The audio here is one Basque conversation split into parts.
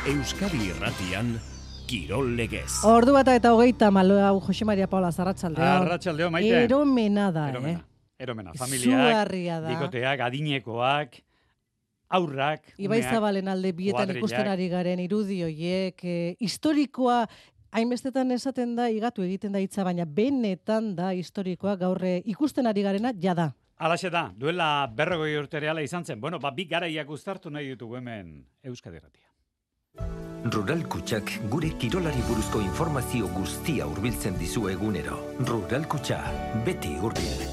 Euskadi Irratian Kirol Legez. Ordu bata eta 30 Jose Maria Paula Arratsaldeon. Arratsaldeon, Maite. Eromena da, Eromena, familiak, da. bikoteak, adinekoak, aurrak, Ibai Zabalen alde bietan ikusten ari garen irudi horiek, historikoa hainbestetan esaten da, igatu egiten da hitza, baina benetan da historikoa gaur ikusten ari garena jada. Alaxe da, duela 40 urte reala izan zen. Bueno, bi garaiak uztartu nahi ditugu hemen Euskadi Irratia. Rural Kutxak gure kirolari buruzko informazio guztia hurbiltzen dizu egunero. Rural Kutxa, beti hurbil.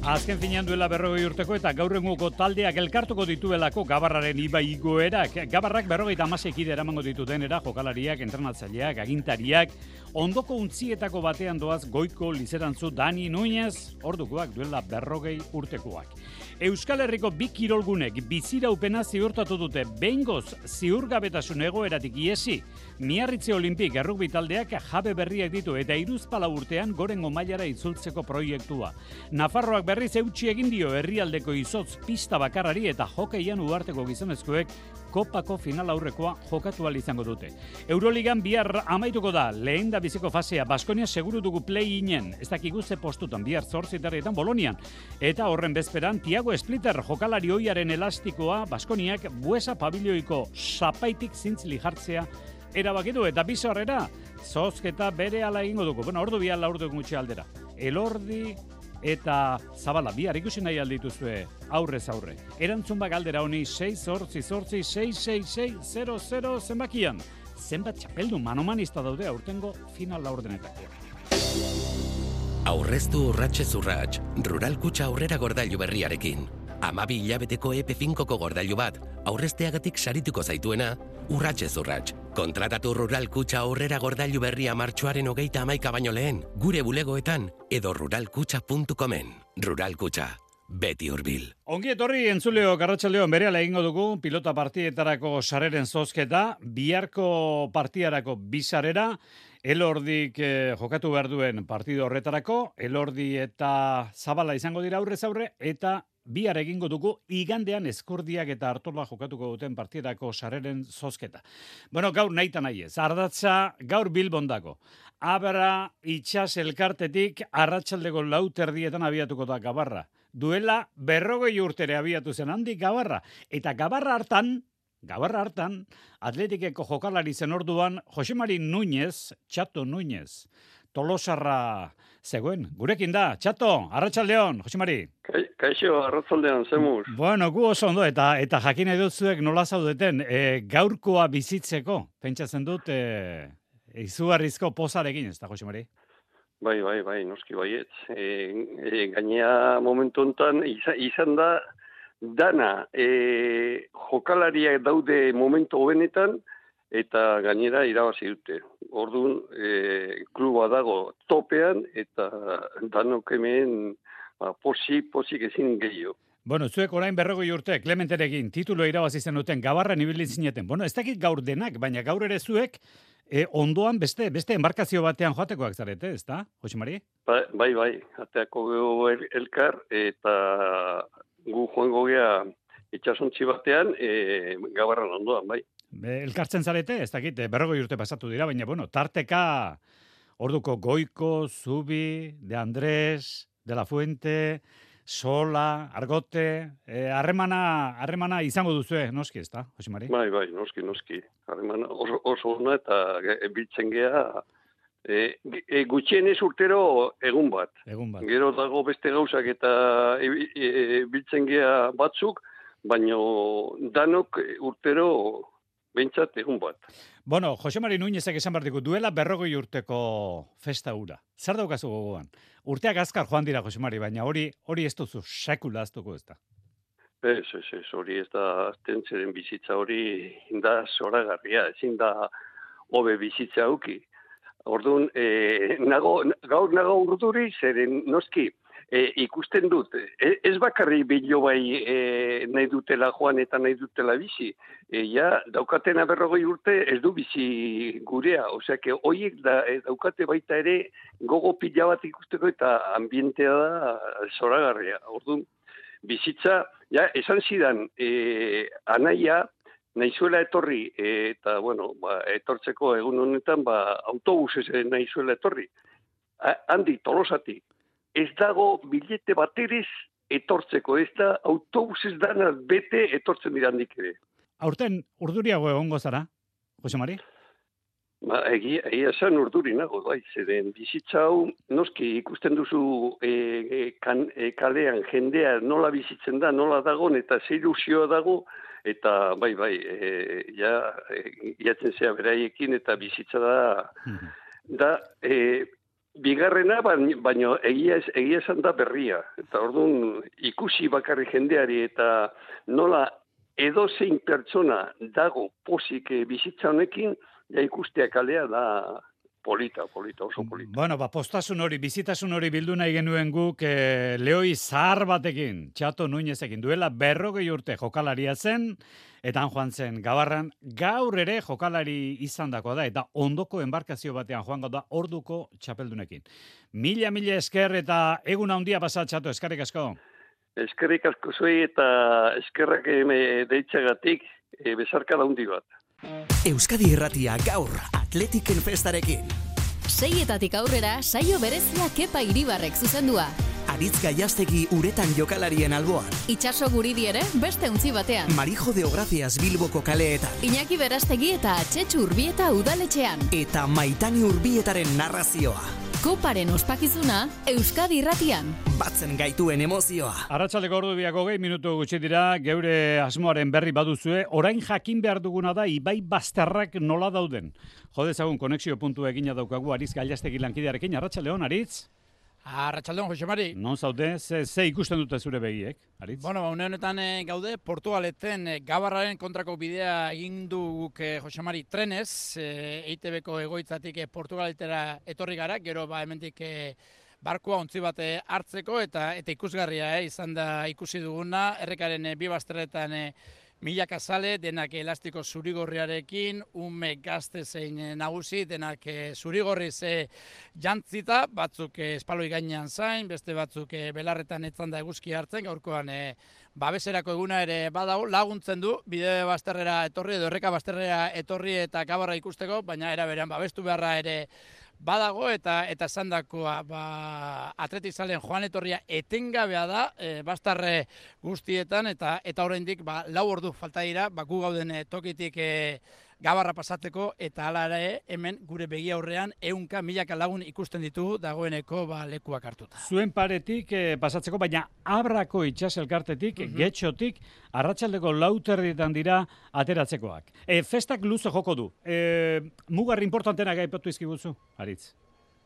Azken finean duela 40 urteko eta gaur egungo taldeak elkartuko dituelako Gabarraren ibai igoerak. Gabarrak 56 kide eramango ditutenera jokalariak, entrenatzaileak, agintariak, ondoko untzietako batean doaz Goiko Lizerantzu Dani Núñez, ordukoak duela 40 urtekoak. Euskal Herriko bi kirolgunek biziraupena ziurtatu dute behingoz ziurgabetasun egoeratik iesi. Miarritze Olimpik errugbi taldeak jabe berriak ditu eta hiruzpalau urtean gorengo mailara itzultzeko proiektua. Nafarroak berriz eutsi egin dio herrialdeko izotz pista bakarrari eta hokeian uharteko gizonezkoek kopako final aurrekoa jokatu ahal izango dute. Euroligan bihar amaituko da lehendabiziko fasea. Baskonia seguru dugu play-inen, ez dakigu ze postutan bihar 8:00 Bolonian. Eta horren bezperan Tiago Splitter jokalari ohiaren elastikoa Baskoniak Buesa pabilloiko sapaitik zintzili jartzea erabaki du eta bizarrera zozketa berehala egingo dugu. Bueno, ordu bihar laurdu gutxi aldera. Elordi eta Zabala bihar ikusi nahi aldituzue aurrez aurre. Erantzun galdera honi 688-666-000 zenbakian. Zenbat txapeldu manomanista daude aurtengo final laurdenetako. Aurreztu urratxez urratx, Rural Kutxa aurrera gordailu berriarekin. 12 hilabeteko EP5ko gordailu bat, aurrezteagatik sarituko zaituena, urratxez urratx. Kontratatu Rural Kutxa aurrera gordailu berria martxoaren 31 baino lehen, gure bulegoetan edo ruralkutxa.comen. Rural Kutxa, beti hurbil. Ongi etorri entzuleo Arratsaldeon berehala egingo dugu pilota partietarako sarreren zozketa, biharko partiarako bi sarrera, Elordik jokatu behar duen partido horretarako, Elordi eta Zabala izango dira aurrez aurre, eta bihar egingo dugu igandean Eskurdiak eta Artola jokatuko duten partidako sarreren zozketa. Bueno, gaur nahita nahi ez. Ardatza gaur Bilbondako. Abra itxas elkartetik arratsaldeko 4:00 abiatuko da Gabarra. Duela 40 urtere abiatu zen handik Gabarra. Eta Gabarra hartan, Atletikeko jokalari zen orduan Jose Mari Núñez, Txato Núñez, Tolosarra zegoen. Gurekin da, Txato, arratsaldeon, Jose Mari. Kaixo, arratsaldeon, zemuz. Bueno, gu oso ondo, eta jakin nahi dut zuek nola zaudeten, gaurkoa bizitzeko, pentsatzen dut, izugarrizko pozarekin, ez da, Jose Mari? Bai, noski baietz. Gainea momentu honetan izan da, dana jokalariak daude momentu hobenetan, eta gainera irabazi dute. Orduan, kluba dago topean, eta danok hemen posik ezin gehiago. Bueno, zuek orain 40 urte, Clementerekin titulo irabazi zenuten, Gabarren ibili zineten. Bueno, ez dakit gaur denak, baina gaur ere zuek ondoan beste embarkazio batean joatekoak zarete, ez da, Jose Mari? Bai, ateako elkar, eta gu joango gea itxasontzi batean, Gabarran ondoan, bai. Elkartzen zarete, ez dakit, 40 urte pasatu dira, baina, bueno, tarteka orduko Goiko, Zubi, De Andrés, De La Fuente, Sola, Argote, harremana izango duzue, noski, ez da, Jose Mari? Bai, noski. Harremana oso ona eta biltzen gea, gutxienez urtero egun bat. Gero dago beste gauzak eta biltzen gea batzuk, baina danok urtero behintzat egun bat. Bueno, Jose Mari Núñezek esan behar diku, duela 40 urteko festa hura. Zer daukazu gogoan? Urteak azkar joan dira, Jose Mari, baina hori ez duzu sekula aztuko ez da. Ez, hori ez da aztentzeren bizitza hori da zoragarria, ezin da hobe bizitza auki. Orduan, gaur nago urduri, zeren noski, ikusten dut, ez bakarri bilo bai nahi dutela joan eta nahi dutela bizi, daukatena 40 urte ez du bizi gurea, oseak, horiek daukate baita ere gogo pila bat ikusteko eta ambientea da zoragarria. Orduan, bizitza, esan zidan, anaia, nahizuela etorri, eta, bueno, etortzeko egun honetan, autobusez nahizuela etorri. Handi, Tolosati, ez dago bilete bateriz etortzeko, ez da autobusez dana bete etortzen dira handik ere. Aurten urduriago egongo zara, Jose Mari? Egia esan urduri nago, bai, zeren bizitza hau, noski ikusten duzu kalean jendea nola bizitzen da, nola dagon, eta ze ilusioa dago, eta bai, iatzen zea beraiekin, eta bizitza da bigarrena, baino egia esan da berria. Eta orduan ikusi bakarri jendeari, eta nola edozein pertsona dago pozik bizitza honekin, ja ikustea kalea da polita, oso polita. Bueno, postasun hori, bizitasun hori bildu nahi genuen guk lehoi zahar batekin, Txato Nuñezekin, duela 40 urte jokalaria zen, eta han joan zen Gabarran, gaur ere jokalari izandakoa da, eta ondoko enbarkazio batean joango da orduko txapeldunekin. Mila esker eta egun handia pasa, Txato, eskerrik asko. Eskerrik asko zuei eta eskerrak deitzagatik bezarkada handi bat. Euskadi Irratia gaur Atletiken festarekin. 6etatik aurrera saio berezia Kepa Iribarrek zuzendua. Aritz Gaiastegi uretan jokalarien alboan. Itxaso Guridi ere beste untzi batean. Marijo Deogracias Bilboko kaleetan. Iñaki Berastegi eta Txetxu Urbieta udaletxean. Eta Maitani Urbietaren narrazioa. Koparen ospakizuna Euskadi Irratian. Batzen gaituen emozioa. Arratsaldeko ordu 20 minutu gutxi dira, geure asmoaren berri baduzue, orain jakin behar duguna da Ibai Bazterrak nola dauden. Jodezagun konexio puntu egina daukagu Aritz Gaiastegi lankidearekin. Arratsaldeon, Aritz. Arratsaldeon, Jose Mari. Non zaude, ze ikusten dute zure begiek, Aritz? Bueno, une honetan gaude, Portugaleten Gabarraren kontrako bidea egin du guk Jose Mari trenez, EITB-ko egoitzatik Portugaletera etorri gara, gero hemendik barkua ontzi bat hartzeko, eta ikusgarria izan da ikusi duguna, errekaren bi bazterretan milaka zale, denak elastiko zurigorriarekin, ume gazte zein nagusi, denak zurigorriz jantzita, batzuk espaloi gainean zain, beste batzuk belarretan etzan da eguzki hartzen, gaurkoan babeserako eguna ere badago, laguntzen du, bide bazterrera etorri edo erreka bazterrera etorri eta Gabarra ikusteko, baina era berean babestu beharra ere badago eta esandakoa atletizalen joan etorria etengabea da bazterre guztietan eta oraindik 4 ordu falta dira gu gauden tokitik Gabarra pasateko eta hala ere hemen gure begi aurrean 100.000 lagun ikusten ditugu dagoeneko lekuak hartuta. Zuen paretik pasatzeko, baina Abrako itsas elkartetik, Getxotik, arratsaldeko 4:00 dira ateratzekoak. Festak luze joko du. Mugarri importantenak aipatu izkiguzu, Aritz.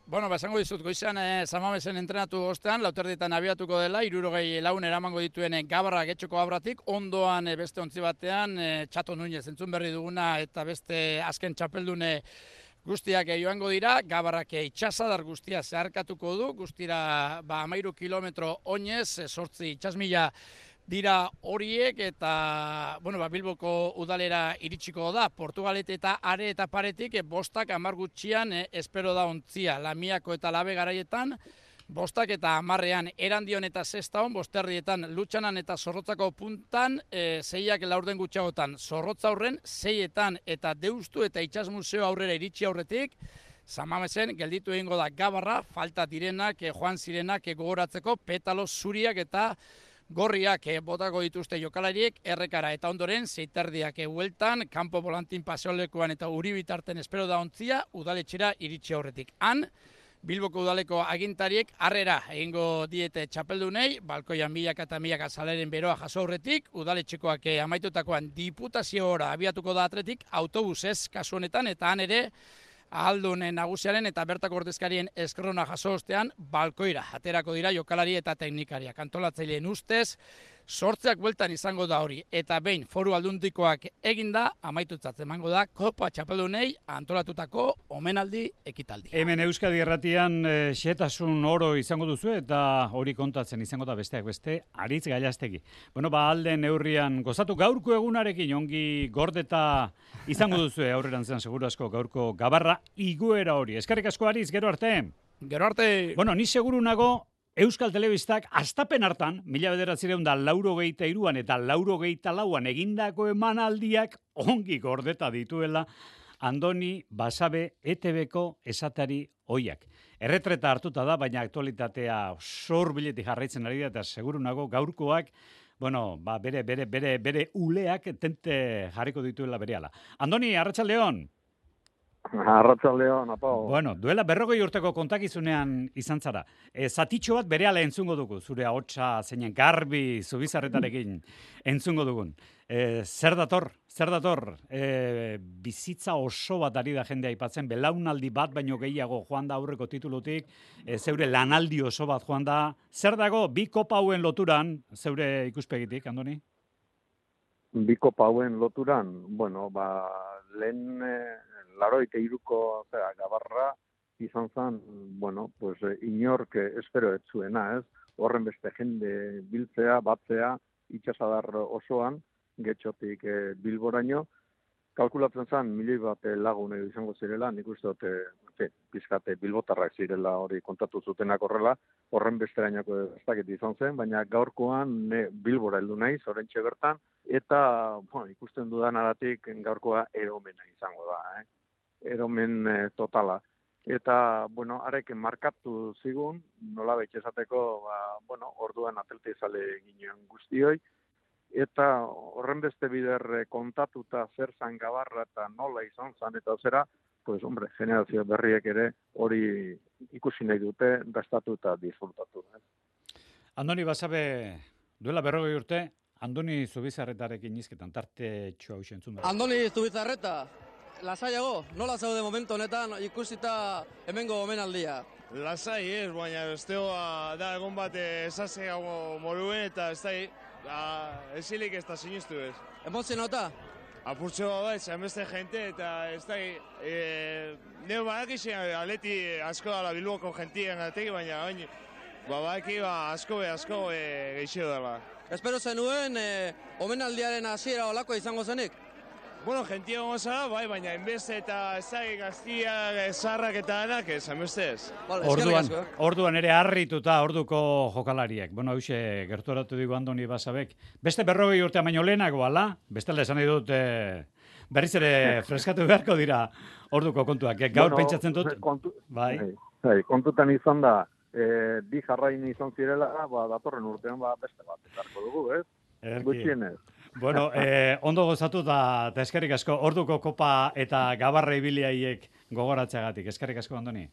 Bueno, esango dizut, goizan Samamesen entrenatu ostean, 4:00 abiatuko dela, 60 lagun eramango dituen Gabarra Getxoko Abratik, ondoan beste ontzi batean, Txato Nuñez entzun berri duguna eta beste azken txapeldune guztiak joango dira, Gabarrak itxasadar guztia zeharkatuko du, guztira 13 kilometro oinez, 8 itsasmila dira horiek eta Bilboko udalera iritsiko da. Portugalete eta are eta paretik 5-10 gutxian espero da ontzia. Lamiako eta Labe garaietan 5 eta 10ean Erandion eta Sestaon, 5 Lutxanan eta Zorrotzako puntan, 6 laurden gutxiagotan Zorrotza aurren, 6 eta Deustu eta Itsas Museo aurrera iritsi aurretik, Samamesen gelditu egingo da Gabarra, falta direnak, joan zirenak gogoratzeko, petalo zuriak eta gorriak botako dituzte jokalariek errekara eta ondoren 6:30 hueltan, kanpo volantin paseolekuan eta Uribitarten espero da ontzia, udaletxera iritsi aurretik. Han, Bilboko udaleko agintariek harrera egingo diete txapeldunei, balkoian milaka eta milaka zaleren beroa jaso aurretik, udaletxekoak amaitutakoan diputaziora abiatuko da atletik, autobusez kasu honetan, eta han ere, ahaldun nagusiaren eta bertako ordezkarien eskerrona jaso ostean balkoira aterako dira jokalari eta teknikariak. Antolatzaileen ustez, 8 bueltan izango da hori. Eta behin foru aldundikoak eginda, amaitutzat emango da Kopa txapeldunei antolatutako omenaldi ekitaldi. Hemen Euskadi Irratian xehetasun oro izango duzu eta hori kontatzen izango da besteak beste Aritz Gaiastegi. Alde neurrian gozatu gaurko egunarekin ongi gordeta izango duzu aurrerantzean seguru asko gaurko Gabarra iguera hori. Eskerrik asko Aritz, gero arte. Gero arte. Ni seguru nago Euskal Telebistak astapen hartan, 1983an eta 84an egindako emanaldiak ongi gordeta dituela Andoni Basabe ETBko esatari oiak. Erretreta hartuta da, baina aktualitatea sorbiletik jarraitzen ari da, eta seguru nago gaurkoak, bere uleak tente jarriko dituela berehala. Andoni, arratsaldeon. Arratsaldeon, apau. Bueno, duela 40 urteko kontakizunean izan zara. Zatitxo bat berehala entzungo dugu, zure ahotsa zeinen garbi Zubizarretarekin entzungo dugun. Zer dator? Bizitza oso bat ari da jendea aipatzen, belaunaldi bat baino gehiago joan da aurreko titulutik, zeure lanaldi oso bat joan da. Zer dago, bi kopa hauen loturan, zeure ikuspegitik, Andoni? Bi kopa hauen loturan, lehen 83ko Gabarra izan zen, inork espero ez zuena, ez? Horren beste jende biltzea, batzea, itxasadar osoan, getxotik Bilboraino, kalkulatzen zen, 1.000.000 bat lagun izango zirela, nik uste dut, pizkate bilbotarrak zirela hori kontatu zutenak horrela, horren besterainako ez dakit izan zen, baina gaurkoan Bilbora heldu naiz, orentxe bertan, eta ikusten dudan aratik gaurkoa eromena izango da, eromen totala. Eta, arek markatu zigun, nola betxe esateko, orduan atletizale ginen guztioi, eta horren beste bider kontatuta zer zan Gabarra eta nola izan zan, eta zera, generazio berriek ere hori ikusi nahi dute, dastatu eta disfrutatu. Andoni Basabe, duela 40 urte, Andoni Zubizarretarekin izketan tarte txua usen zuen. Andoni Zubizarreta, lasaiago, nola zaude momentu honetan ikusita hemengo omenaldia? Lasai ez, baina besteoa da egon bat esaseago moruen eta ez da, ezilik ez da sinistu ez. Emozionota? Apurtxo bat, beste jente eta ez da, neu badakizien aleti asko dala Bilboko jentien gatik, baina badaki asko geixio dela. Espero zenuen, omenaldiaren hasiera olako izango zenik? Jentia goza, baina enbeste eta ez da, gaztiak, zarrak eta anak ez, enbeste ez. Orduan ere harrituta orduko jokalariek. Hauxe gerturatu digu Andoni Basabek. Beste 40 urtea baino lehenago, ala? Bestela esan nahi dut, berriz ere freskatu beharko dira orduko kontuak. Gaur pentsatzen dut. Kontutan izan da, bi jarrain izan zirela, datorren urtean beste bat ekarko dugu, ez? Gutxienez. Ondo gozatu da eskerrik asko, orduko kopa eta Gabarra ibiliaiek gogoratzeagatik. Eskerrik asko, Andoni.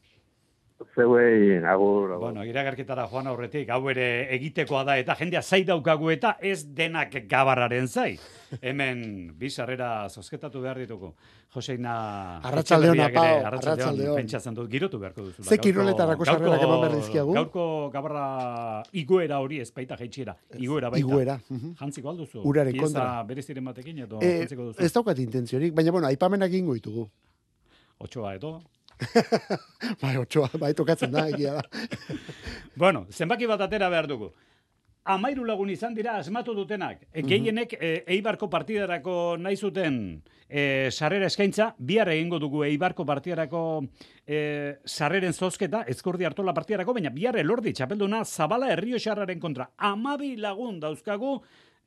Zeuei, agur. Iragarkitara joan aurretik, hau ere egitekoa da, eta jendea zai daukagu eta ez denak Gabarraren zai. Hemen, bizarrera zozketatu behar ditugu. Joseina... Arratsaldeon, apau. Arratsaldeon. Pentsatzen dut, girotu beharko duzu. Ze kiroletarako sarrerak eman behar dizkiagu? Gaurko Gabarra igoera hori ez baita jaitxiera. Igoera baita. Igoera. Jantziko alduzu. Uraren kontra. Pieza bereziren batekin edo jantziko duzu. Ez daukat intentziorik, baina aipamenak ingo ditugu. Otsoa edo? Otsoa, tokatzen da, egia da. Zenbaki bat atera behar dugu. 13 lagun izan dira asmatu dutenak. Gehienek Eibarko partidarako nahi zuten sarrera eskaintza, bihar egingo dugu Eibarko partidarako sarreren zozketa, Ezkurdi Artola partidarako, baina bihar Elordi txapelduna Zabala Errioxarraren kontra. 12 lagun dauzkagu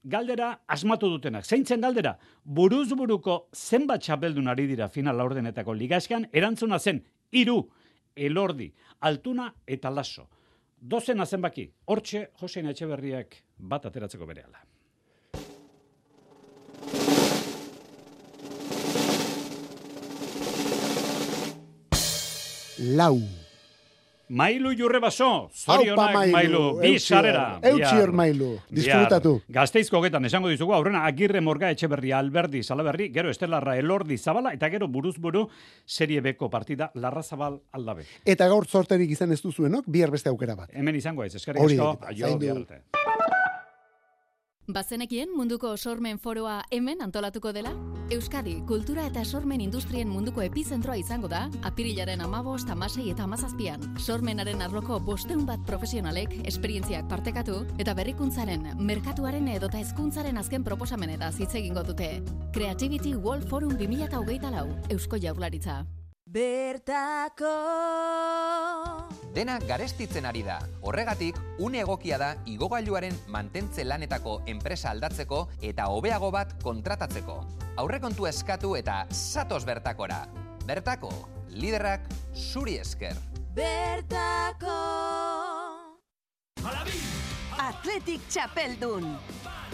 galdera asmatu dutenak. Zeintzen galdera? Buruz-buruko zenbat txapeldun ari dira final laurdenetako ligaskan, erantzuna zen 3, Elordi, Altuna eta Laso. 12 zenbaki. Hortxe, Josein Etxeberriak bat ateratzeko berehala. Lau. Mailu Jurrebaso, zorionak Mailu, bizarrera. Eutxior Mailu, disfrutatu. Gazteizko getan, esango dizugu, aurrena Agirre Morga Etxeberria, Alberdi, Salaberri, gero Estelarra, Elordi, Zabala, eta gero buruz-buru Serie Bko partida, Larra Zabal, Aldabe. Eta gaur zorterik izan ez duzuenok, bihar beste aukera bat. Hemen izango ez, eskerrik asko, aio biharrate. Bazenekien munduko sormen foroa hemen antolatuko dela? Euskadi, kultura eta sormen industrien munduko epizentroa izango da, apirilaren 15, 16 eta 17an. Sormenaren arloko 500 bat profesionalek esperientziak partekatu eta berrikuntzaren, merkatuaren edota hezkuntzaren azken proposamenetaz hitz egingo dute. Creativity World Forum 2024, Eusko Jaurlaritza. Bertako Dena garestitzen ari da. Horregatik, une egokia da igogailuaren mantentze lanetako enpresa aldatzeko eta hobeago bat kontratatzeko. Aurrekontua eskatu eta zatoz bertakora. Bertako, liderrak zuri esker. Bertako Atletik txapeldun.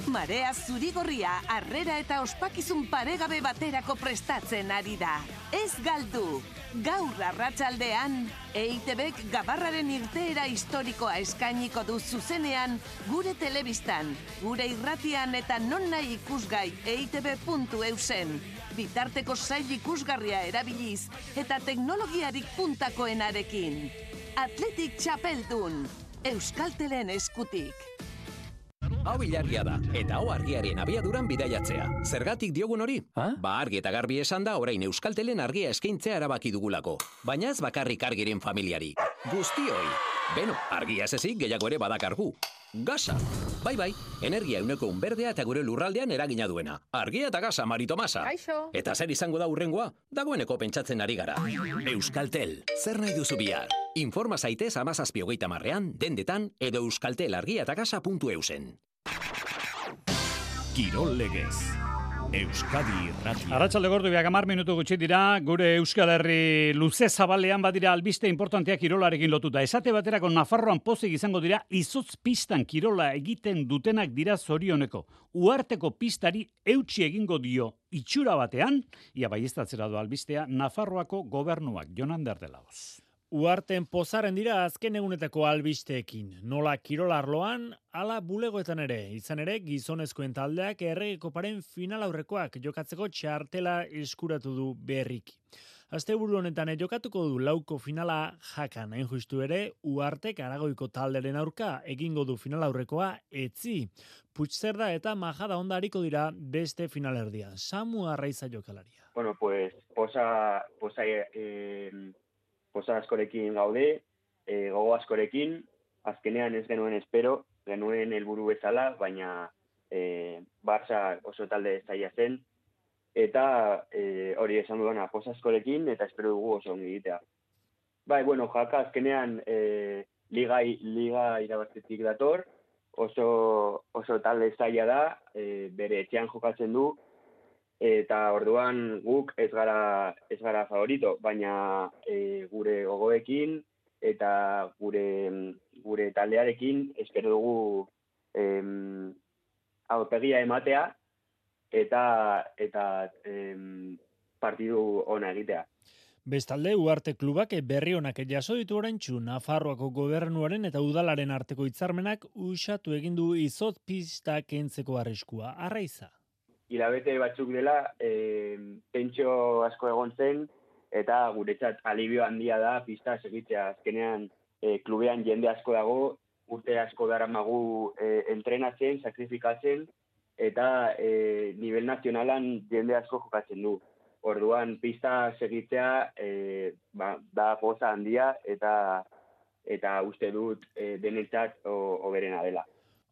Marea zurigorria harrera eta ospakizun paregabe baterako prestatzen ari da. Ez galdu! Gaur arratsaldean, EITBek Gabarraren irteera historikoa eskainiko du zuzenean gure telebistan, gure irratian eta nonahi ikusgai eitb.eusen. Bitarteko sail ikusgarria erabiliz eta teknologiarik puntakoenarekin. Atletik txapeldun, Euskaltelen eskutik. Hau ilargia da, eta hau argiaren abiaduran bidaiatzea. Zergatik diogun hori? Ba argi eta garbi esan da orain Euskaltelen argia eskaintzea erabaki dugulako. Baina ez bakarrik argiren familiari. Guztioi. Beno, argia ez ezik gehiago ere badakargu. Gasa. Bai, energia euneko unberdea eta gure lurraldean eragina duena. Argia eta gasa, Mari Tomasa. Kaixo. Eta zer izango da hurrengoa? Dagoeneko pentsatzen ari gara. Euskaltel, zer nahi duzu bihar? Informa zaitez 17:30 dendetan edo euskaltelargiatagasa.eusen. Kirol legez. Euskadi Irratia. Arratsalde gordu 10 minutu gutxi dira, gure Euskal Herri luze zabalean badira albiste importanteak kirolarekin lotuta. Esate baterako Nafarroan pozik izango dira izotz pistan kirola egiten dutenak dira zorioneko. Uharteko pistari eutsi egingo dio itxura batean, ia baieztatzera du albistea Nafarroako gobernuak. Jon Ander de Laos. Uharten pozaren dira azken egunetako albisteekin. Nola kirolarloan, ala bulegoetan ere. Izan ere, gizonezkoen taldeak Errege Koparen final aurrekoak jokatzeko txartela eskuratu du berriki. Asteburu honetan jokatuko du lauko finala Jakan. Hain justu ere, Uhartek Aragoiko talderen aurka egingo du final aurrekoa Etzi. Puigcerda eta Majada Honda hariko dira beste finalerdia. Samu Arraiza jokalaria. Bueno, pues posa askorekin gaude, gogo askorekin, azkenean ez genuen espero, genuen helburu bezala, baina Barça oso talde zaila zen, eta hori esan duena posa askorekin, eta espero dugu oso ongi egitea. Bai, bueno, Jaka azkenean liga irabaztetik dator, oso talde zaila da, bere etxean jokatzen du, eta orduan guk ez gara favorito, baina gure gogoekin eta gure taldearekin espero dugu aurpegia ematea eta partidu ona egitea. Bestalde, Uharte klubak berri onak jaso ditu oraintsu Nafarroako gobernuaren eta udalaren arteko hitzarmenak uxatu egin du izotz pista kentzeko arriskua. Arraiza. Hilabete batzuk dela, pentso asko egon zen, eta guretzat alibio handia da pista segitzea. Azkenean, klubean jende asko dago, urte asko daramagu entrenatzen, sakrifikatzen, eta nivel nazionalan jende asko jokatzen du. Orduan, pista segitzea da poza handia, eta uste dut denentzat hoberena dela.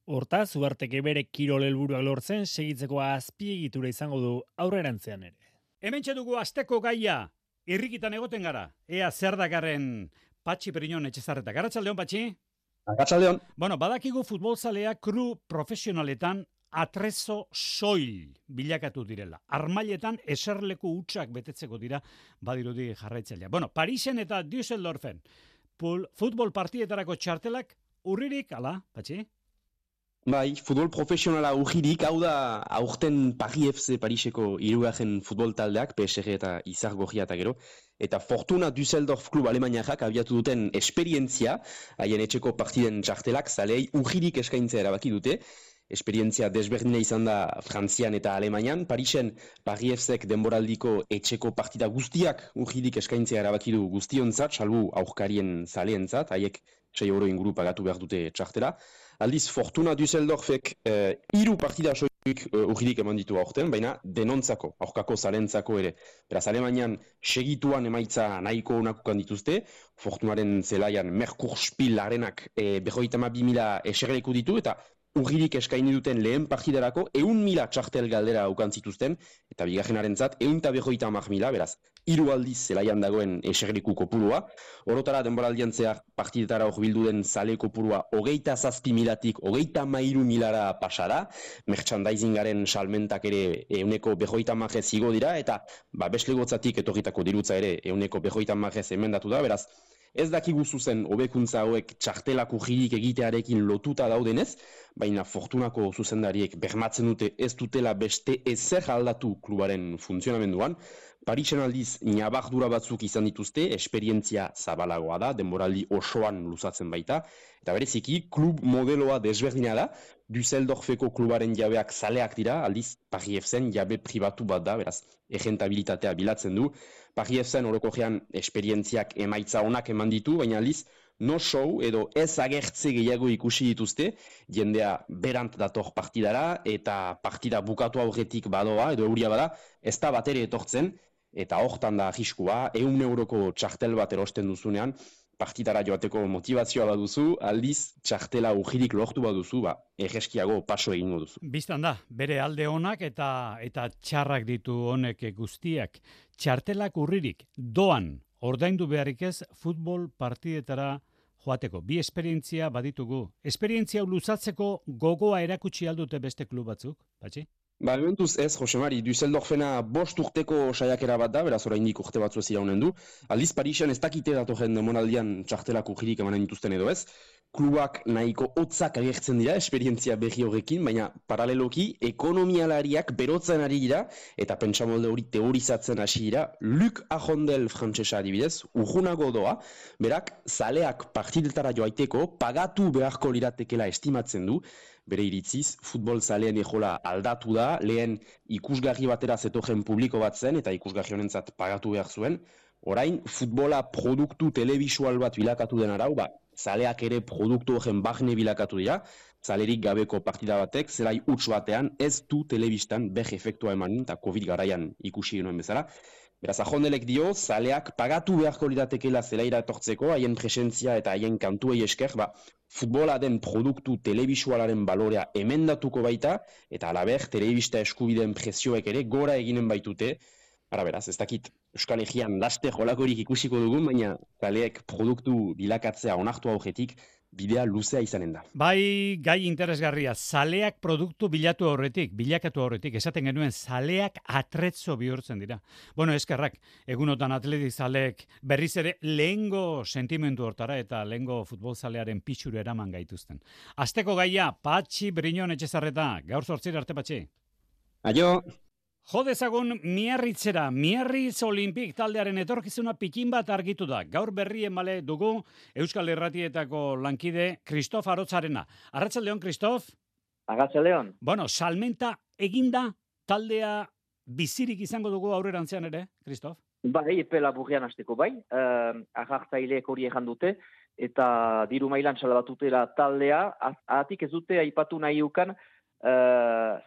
Hortaz, Uharteke bere kirol helburuak lortzen segitzeko azpiegitura izango du aurrerantzean ere. Hementxe dugu asteko gaia, irrikitan egoten gara. Ea zer dakarren Patxi Periñon Etxezarretak. Arratsaldeon, Patxi? Arratsaldeon. Bueno, badakigu futbolzalea kru profesionaletan atrezo soil bilakatu direla. Armailetan eserleku hutsak betetzeko dira badirudi jarraitzailea. Bueno, Parisen eta Düsseldorfen futbol partietarako txartelak urririk, ala, Patxi? Bai, futbol profesionala urririk, hau da aurten Paris FC Pariseko hirugarren futbol taldeak, PSG eta Izargorria eta gero, eta Fortuna Düsseldorf klub alemaniarrak abiatu duten esperientzia, haien etxeko partiden txartelak, zalei urririk eskaintzea erabaki dute, esperientzia desberdina izan da Frantzian eta Alemanian, Parisen Paris FCek denboraldiko etxeko partida guztiak urririk eskaintzea erabaki du guztionzat, salbu aurkarien zaleentzat, haiek 6 euro inguru pagatu behar dute txartela. Aldiz, Fortuna Düsseldorfek 3 partida soilik urririk eman ditu aurten, baina denontzako, aurkako zalentzako ere. Beraz, Alemanian segituan emaitza nahiko onakukan dituzte, Fortunaren zelaian Merkurspiel arenak 52.000 eserleku ditu, eta Urririk eskaini duten lehen partidarako 100.000 txartel galdera aukan zituzten, eta bigarrenarentzat 150.000, beraz, 3 aldiz zelaian dagoen eserleku kopurua. Orotara denboraldian zehar partidetara bildu den zale kopurua 27.000-tik 33.000-ra pasara, merchandisingaren salmentak ere 150 igo dira, eta beslegotzatik etorritako dirutza ere 150 emendatu da, beraz, ez dakigu zuzen hobekuntza hauek txartelako jirik egitearekin lotuta daudenez, baina fortunako zuzendariek bermatzen dute ez dutela beste ezer aldatu klubaren funtzionamenduan. Parisen aldiz nabardura batzuk izan dituzte, esperientzia zabalagoa da, denboraldi osoan luzatzen baita, eta bereziki klub modeloa desberdina da, Düsseldorfeko klubaren jabeak zaleak dira, aldiz Paris FC-en jabe pribatu bat da, beraz, egentabilitatea bilatzen du. Paris FC-en orokorrean esperientziak emaitza onak eman ditu, baina aldiz, no show edo ez agertze gehiago ikusi dituzte, jendea berant dator partidara, eta partida bukatu aurretik badoa, edo euria bada, ez da batere etortzen, eta hortan da arriskua, 100 euroko txartel bat erosten duzunean, partidara joateko motivazioa baduzu, aldiz txartela ujirik lortu baduzu, erreskiago paso egingo duzu. Bistan da, bere alde onak eta txarrak ditu honek guztiak. Txartelak urririk doan ordaindu beharrik ez futbol partidetara joateko. Bi esperientzia baditugu. Esperientzia luzatzeko gogoa erakutsi aldute beste klub batzuk, Patxi? Momentuz ez, Josemari, Düsseldorfena 5 urteko saiakera bat da, beraz oraindik urte batzu ez iraunen du. Aldiz Parisen ez dakite datorren demonaldian txartelako jirik emanen dituzten edo ez. Klubak nahiko hotzak agertzen dira, esperientzia berri horrekin, baina paraleloki ekonomialariak berotzen ari dira, eta pentsamolde hori teorizatzen hasi dira. Luc Ajondel frantsesa adibidez, urrunago doa, berak zaleak partidetara joaiteko pagatu beharko liratekela estimatzen du, bere iritziz, futbol zaleen ejola aldatu da, lehen ikusgarri batera zetojen publiko bat zen, eta ikusgarri honentzat pagatu behar zuen. Orain, futbola produktu telebisual bat bilakatu den arau, zaleak ere produktu horren barne bilakatu dira, zalerik gabeko partida batek, zelai huts batean, ez du telebistan beh efektua emanin, eta COVID garaian ikusi genuen bezala. Beraz, Ajondelek dio, zaleak pagatu beharko liratekela zelaira etortzeko, haien presentzia eta haien kantuei esker, futbola den produktu telebisualaren balorea emendatuko baita, eta alaber, telebista eskubideen prezioek ere gora eginen baitute. Ara beraz, ez dakit Euskal Herrian laster holakorik ikusiko dugun, baina zaleek produktu bilakatzea onartu aurretik, bidea luzea izanen da. Bai, gai interesgarria, zaleak produktu bilakatu horretik, esaten genuen zaleak atretzo bihurtzen dira. Bueno, eskerrak, egunotan atleti zaleek berriz ere lehengo sentimendu hortara eta lehengo futbol zalearen pixuru eraman gaituzten. Asteko gaia, Patxi Briñon Etxezarreta, gaur 8 arte Patxi. Aio! Jo dezagun Miarritzera, Miarritz Olimpik taldearen etorkizuna pikin bat argitu da. Gaur berrien bale dugu Euskal Irratietako lankide Kristof Arotzarena. Arratsaldeon, Kristof? Arratsaldeon. Bueno, salmenta eginda taldea bizirik izango dugu aurrerantzean ere, Kristof? Bai, epe laburrean hasteko bai. Agartzaileek hori ejan dute, eta diru mailan salabatutela taldea, ahatik ez dute aipatu nahi ukan,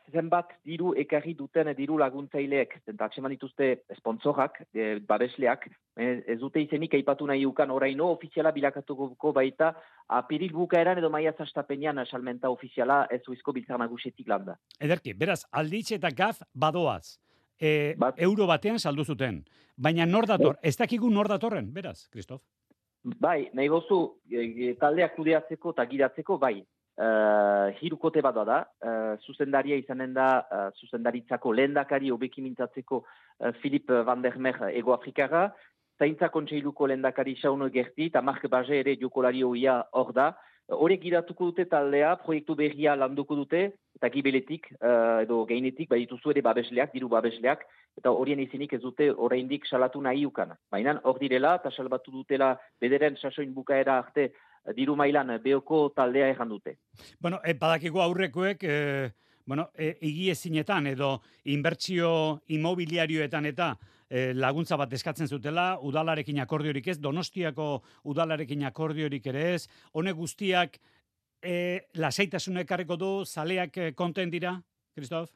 zenbat diru ekarri duten diru laguntzaileek, eta atseman dituzte sponsorak, babesleak, ez dute izenik aipatu nahi ukan oraino ofiziala bilakatuko baita apiril bukaeran edo maiatz hastapenean salmenta ofiziala ez uizko biltzar nagusetik landa. Ederki, beraz, Alditz eta Gaz badoaz, euro batean saldu zuten, baina nor dator, ez dakigu nor datorren, beraz, Kristof? Bai, nahi gozu, taldeak kudeatzeko eta gidatzeko, bai. Hirukote bat da, zuzendaria izanen da, zuzendaritzako lehendakari hobeki mintzatzeko Philip van der Mer Ego-Afrikara, zaintza kontseiluko lehendakari Xauno Gerti, eta Mark Baje ere jokolari hoia hor da. Horek gidatuko dute taldea, proiektu berria landuko dute, eta gibeletik, edo gainetik, badituzu ere babesleak, diru babesleak, eta horien izenik ez dute oraindik salatu nahi ukan. Baina hor direla, eta salbatu dutela bederen sasoin bukaera arte, diru mailan beoko taldea ejan dute. Bueno, badakigu aurrekoek, egiezinetan edo inbertsio immobiliarioetan eta laguntza bat eskatzen zutela, udalarekin akordiorik ez, Donostiako udalarekin akordiorik ere ez, honek guztiak lasaitasuna ekarriko du, zaleak konten dira, Kristof?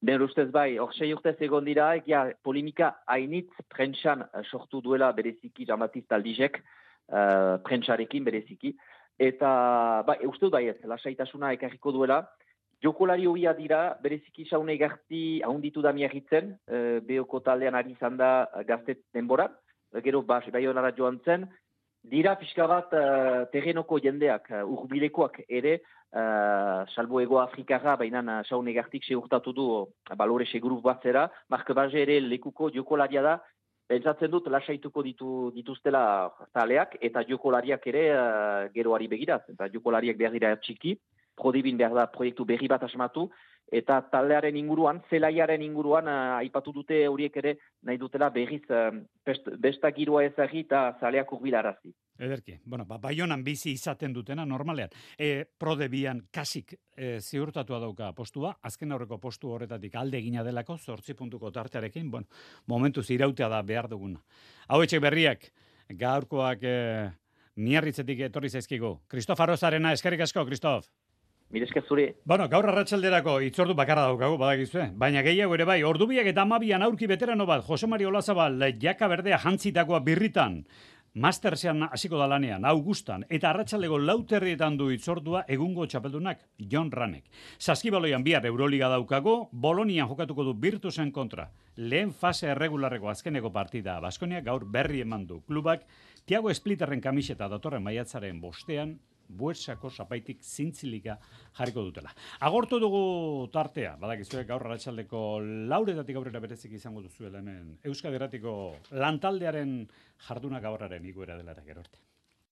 Nire ustez bai, hor 6 urtez egon dira, egia polemika hainitz prentsan sortu duela bereziki Jean-Baptiste Aldizek, prentsarekin bereziki, eta uste dut ez, lasaitasuna ekarriko duela. Jokolari hobia dira, bereziki Saune Garti ahonditu da miagitzen, behoko taldean ari izan da gazte denbora, gero Baionara joan zen, dira pixka bat terrenoko jendeak, urbilekoak ere, salbo ego Afrikarra, baina Saune Gartik segurtatu du balore seguruf bat zera, Mark Baje ere lekuko jokolaria da, pentsatzen dut lasaituko dituztela taleak, eta jokolariak ere geroari begiraz, eta jokolariak behar dira txiki, Prodibin behar da proiektu berri bat asmatu, eta taldearen inguruan, zelaiaren inguruan, aipatu dute horiek ere nahi dutela berriz besta giroa ezagri eta zaleak urbilarazi. Ederki, Baionan bizi izaten dutena normalean. Prodebian kasik ziurtatua dauka postua, azken aurreko postu horretatik alde egina delako, 8 puntuko tartearekin, momentuz irautea da behar duguna. Hau etxek berriak, gaurkoak Miarritzetik etorri zaizkigu. Kristof Arrozarena, eskerrik asko, Kristof. Mirezke zuri. Gaur arratsalderako itzordu bakarra daukagu, badakizue. Baina gehiago ere bai, ordubiak eta 12an aurki beterano bat, Jose Mari Olazabal, jaka berdea jantzitakoa birritan, Mastersean hasiko da lanean, Augustan, eta arratsaldeko 4:00 du itzordua egungo txapeldunak, Jon Ranek. Saskibaloian bihar Euroliga daukago, Bolonian jokatuko du Virtusen kontra. Lehen fase erregularreko azkeneko partida, Baskonia gaur berri eman du. Klubak, Thiago Splitterren kamiseta datorren maiatzaren 5 Buesako zapaitik zintzilika jarriko dutela. Agortu dugu tartea, badakizue gaur arratsaldeko 4:00 aurrera berezik izango duzuela hemen Euskadi Irratiko lantaldearen jarduna gaurraren igoera dela gero arte.